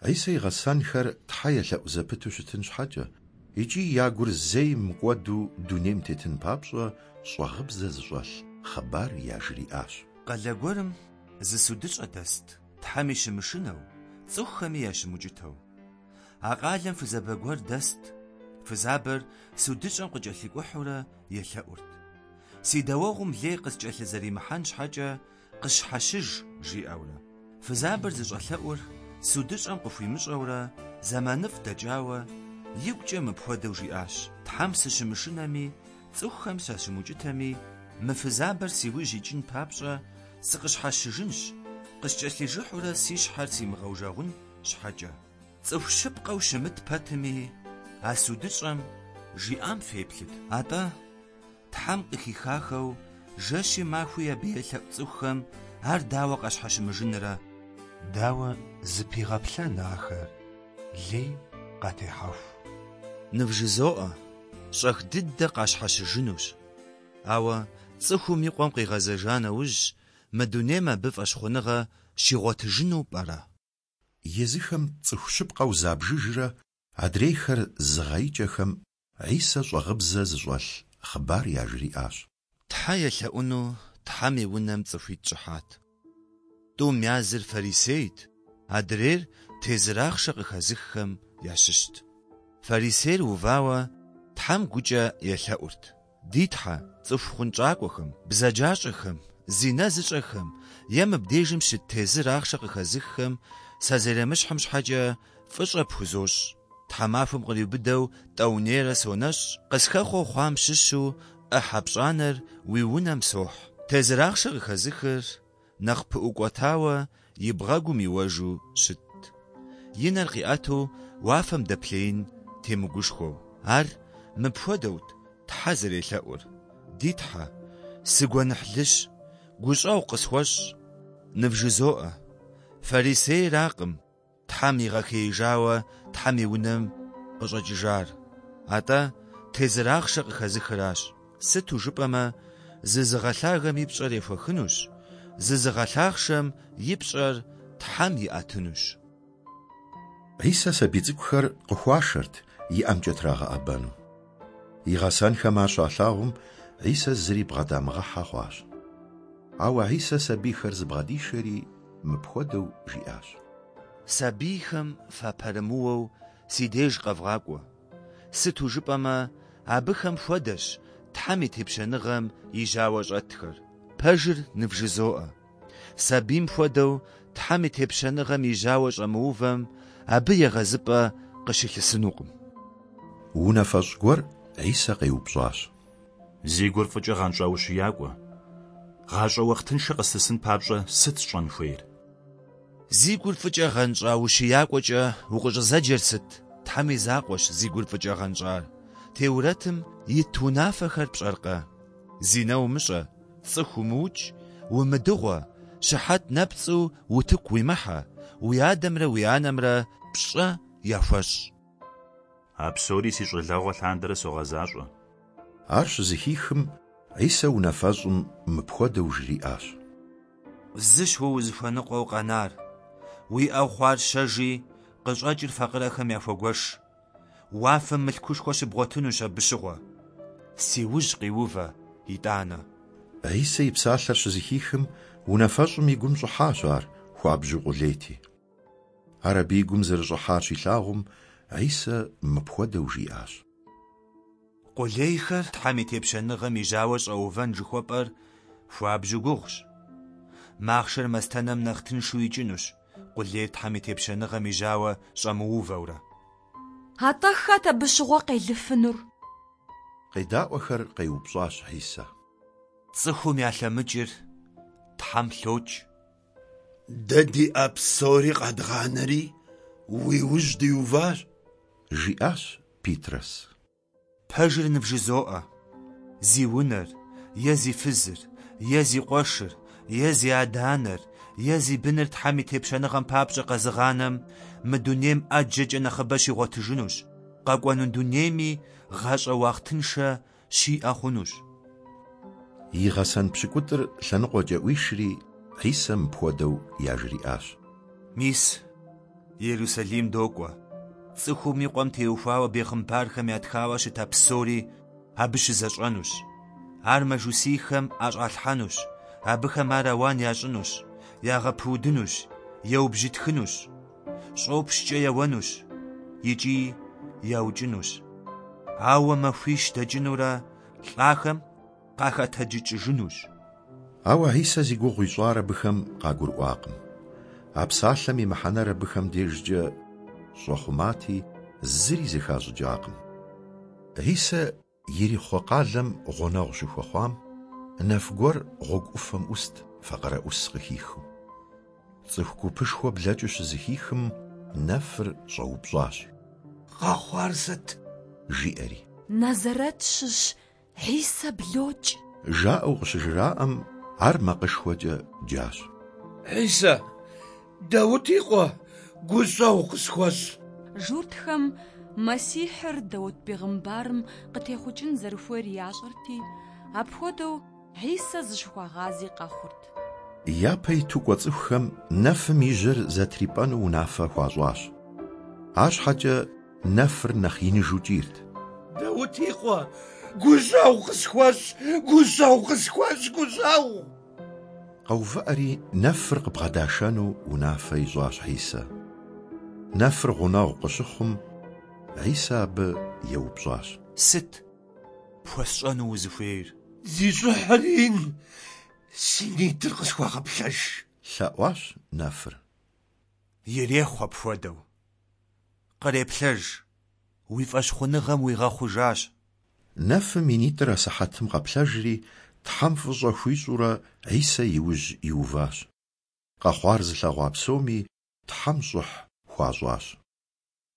Хьисэ и гъэсэнхэр Тхьэ елъэӏу зэпыту щытын щхьэкӏэ икӏи я гур зэи мыкӏуэду дунейм тетын папщӏэ щӏагъыбзэ зыщӏэлъ хъыбар яжриӏащ. Къалэ гуэрым зы судыщӏэ дэст, Тхьэми щымышынэу, цӏыхухэми ящымукӏытэу. А къалэм фызабэ гуэр дэст. Фызабэр судыщӏэм къыкӏэлъикӏухьурэ елъэӏурт. Си дауэгъум лей къыскӏэлъызэримыхьэн щхьэкӏэ къысщхьэщыж, жиӏэурэ. Фызабэр зыщӏэлъэӏур судыщӏэм къыхуимыщӏэурэ зэманыфӏ дэкӏауэ, игукӏэ мыпхуэдэу жиӏащ, Тхьэм сыщымышынэми, цӏыхухэм сащымукӏытэми, мы фызабэр си ужь икӏын папщӏэ сыкъыщхьэщыжынщ, къыскӏэлъижыхьурэ си щхьэр симыгъэужэгъун щхьэкӏэ. Цӏыху щыпкъэу щымыт пэтми, а судыщӏэм жиӏам феплъыт. Атӏэ, Тхьэм къыхихахэу жэщи махуи абы елъэӏу цӏыхухэм ар дауэ къащхьэщымыжынрэ? Дауэ зыпигъэплъэн ахэр лей къатехьэху? Нывжызоӏэ, щӏэх дыдэ къащхьэщыжынущ. Ауэ цӏыхум и къуэм къигъэзэжа нэужь, мы дунейм абы фӏэщхъуныгъэ щигъуэтыжыну пӏэрэ? Езыхэм цӏыху щыпкъэу забжыжрэ адрейхэр зыгъэикӏэхэм Хьисэ щӏагъыбзэ зыщӏэлъ хъыбар яжриӏащ. Тхьэ елъэӏуну Тхьэм и унэм цӏыхуитӏ щӏыхьат. Тӏум языр фарисейт, адрейр тезыр ахъшэ къыхэзыххэм ящыщт. Фарисейр увауэ Тхьэм гукӏэ елъэӏурт. Ди Тхьэ, цӏыху хъунщӏакӏуэхэм, бзаджащӏэхэм, зинэ зыщӏэхэм е мыбдежым щыт тезыр ахъшэ къыхэзыххэм сазэремыщхьым щхьэкӏэ фӏыщӏэ пхузощӏ. Тхьэмахуэм къриубыдэу тӏэунейрэ сонэщӏ, къысхэхъуэу хъуам щыщу ӏыхьэ пщӏанэр уи унэм сохь. Тезыр ахъшэ къыхэзыхыр нэхъ пыӏукӏуэтауэ и бгъэгум иуэжу щытт. И нэр къиӏэту уафэм дэплъеин темыгушхуэу. Ар мыпхуэдэут Тхьэ зэрелъэӏур, Ди Тхьэ, сыгуэныхьлыщ, гущӏэгъу къысхуэщӏ. Нывжызоӏэ, фарисейракъым Тхьэм игъэхеижауэ Тхьэм и унэм къыщӏэкӏыжар, атӏэ тезыр ахъшэ къыхэзыхыращ. Сыту жыпӏэмэ, зызыгъэлъагэм и пщӏэр ехуэхынущ, зызыгъэлъахъшэм и пщӏэр Тхьэм иӏэтынущ. Хьисэ сабий цӏыкӏухэр къыхуашэрт и ӏэмкӏэ трагъэӏэбэну. И гъэсэнхэм ар щалъагъум, Хьисэ зыри бгъэдамыгъэхьэ хъуащ. Ауэ Хьисэ сабийхэр зыбгъэдишэри, мыпхуэдэу жиӏащ. Сабийхэм фапэрымыуэу си деж къэвгъакӏуэ. Сыту жыпӏэмэ, абыхэм хуэдэщ Тхьэм и тепщэныгъэм и жьауэ щӏэтхэр. Пэжыр нывжызоӏэ. Сабийм хуэдэу Тхьэм и тепщэныгъэм и жьауэ щӏэмыувэм абы егъэзыпӏэ къыщылъысынукъым. Унафэщӏ гуэр Хьисэ къеупщӏащ. Зи гур фӏыкӏэ гъэнщӏа ущиякӏуэ, гъащӏэ уахътыншэ къыслъысын папщӏэ сыт сщӏэн хуейр? Зи гур фӏыкӏэ гъэнщӏа ущиякӏуэкӏэ укъыщӏызэджэр сыт? Тхьэм и закъуэщ зи гур фӏыкӏэ гъэнщӏар. Теурэтым ит унафэхэр пщӏэркъэ? Зинэ умыщӏэ, цӏыху умыукӏ, умыдыгъуэ, щыхьэт нэпцӏу утыку уимыхьэ, уи адэмрэ уи анэмрэ пщӏэ яхуэщӏ. А псори си щӏалэгъуэ лъандэрэ согъэзащӏэ. Ар щызэхихым, Хьисэ унафэщӏым мыпхуэдэу жриӏащ. Зыщ уэ узыхуэныкъуэу къэнар. Уиӏэу хъуар щэжи, къыщӏэкӏыр факъырэхэм яхуэгуэш. Уафэм мылъкушхуэ щыбгъуэтынущ абы щыгъуэ. Си ужь къиувэ, итӏанэ. Хьисэ и псалъэр щызэхихым, унафэщӏым и гум щӏыхьащ ар, хуабжьу къулейти. Ар абы и гум зэрыщӏыхьар щилъагъум, Хьисэ мыпхуэдэу жиӏащ. Къулейхэр Тхьэм и тепщэныгъэм и жьауэ щӏэувэн жыхуэпӏэр хуабжьу гугъущ. Махъшэр мастэнэм нэхъ тыншу икӏынущ, къулейр Тхьэм и тепщэныгъэм и жьауэ щӏэмыувэурэ. Атӏэ хэт абы щыгъуэ къелыфынур? Къедаӏуэхэр къеупщӏащ Хьисэ. Цӏыхум ялъэмыкӏыр Тхьэм лъокӏ. Дэ диӏэ псори къэдгъанэри, уи ужь диуващ. Жиӏащ Питрэс. Пэжыр нывжызоӏэ, зи унэр, е зи фызыр, е зи къуэшыр, е зи адэ-анэр, е зи быныр Тхьэм и тепщэныгъэм папщӏэ къэзыгъанэм мы дунейм ӏэджэкӏэ нэхъыбэ щигъуэтыжынущ, къэкӏуэну дунейми гъащӏэ уахътыншэ щиӏэ хъунущ. И гъэсэн пщыкӏутӏыр лъэныкъуэкӏэ ӏуишри, Хьисэ мыпхуэдэу яжриӏащ. Мис, Ерусалим докӏуэ. Цӏыхум и Къуэм теухуауэ бегъымбархэм ятхауэ щыта псори абы щызэщӏэнущ. Ар мажусийхэм ӏэщӏалъхьэнущ, абыхэм ар ауан ящӏынущ, ягъэпудынущ, еубжьытхынущ, щӏопщкӏэ еуэнущ икӏи яукӏынущ. Ауэ махуищ дэкӏынурэ лӏахэм къахэтэджыкӏыжынущ. Ауэ Хьисэ зи гугъу ищӏар абыхэм къагурыӏуакъым. А псалъэм и мыхьэнэр абыхэм дежкӏэ щӏэхъумати, зыри зэхащӏыкӏакъым. Хьисэ Ерихъуэ къалэм гъунэгъу щыхуэхъуам, нэф гуэр гъуэгу ӏуфэм ӏуст факъырэӏус къыхихыу. Цӏыху гупышхуэ блэкӏыу щызэхихым, нэфыр щӏэупщӏащ. Къэхъуар сыт? Жиӏэри. Назарэт щыщ Хьисэ блокӏ. Жаӏэу къыщыжраӏэм, ар макъышхуэкӏэ джащ. Хьисэ, Даут и къуэ, гущӏэгъу къысхуэщӏ! Журтхэм Мэссихьыр Даут бегъымбарым къытехъукӏын зэрыхуейр ящӏэрти, апхуэдэу Хьисэ зыщыхуагъази къэхъурт. Япэ иту кӏуэ цӏыхухэм нэфым и жьэр зэтрипӏэну унафэ хуащӏащ. Арщхьэкӏэ нэфыр нэхъ иныжу кӏийрт. Даут и къуэ, гущӏэгъу къысхуэщӏ, гущӏэгъу къысхуэщӏ, гущӏэгъу! Къэувыӏэри, нэфыр къыбгъэдашэну унафэ ищӏащ Хьисэ. Нэфыр гъунэгъу къыщыхъум, Хьисэ абы еупщӏащ. Сыт пхуэсщӏэну узыхуейр? Зи щӏыхьыр ин, си нитӏыр къысхуэгъэплъэж! Лъэӏуащ нэфыр. Ирехъу апхуэдэу. Къреплъэж, уи фӏэщхъуныгъэм уигъэхъужащ. Нэфым и нитӏыр асыхьэтым къэплъэжри, Тхьэм фӏыщӏэ хуищӏурэ, Хьисэ и ужь иуващ. Къэхъуар зылъэгъуа псоми Тхьэм щӏыхь хуащӏащ.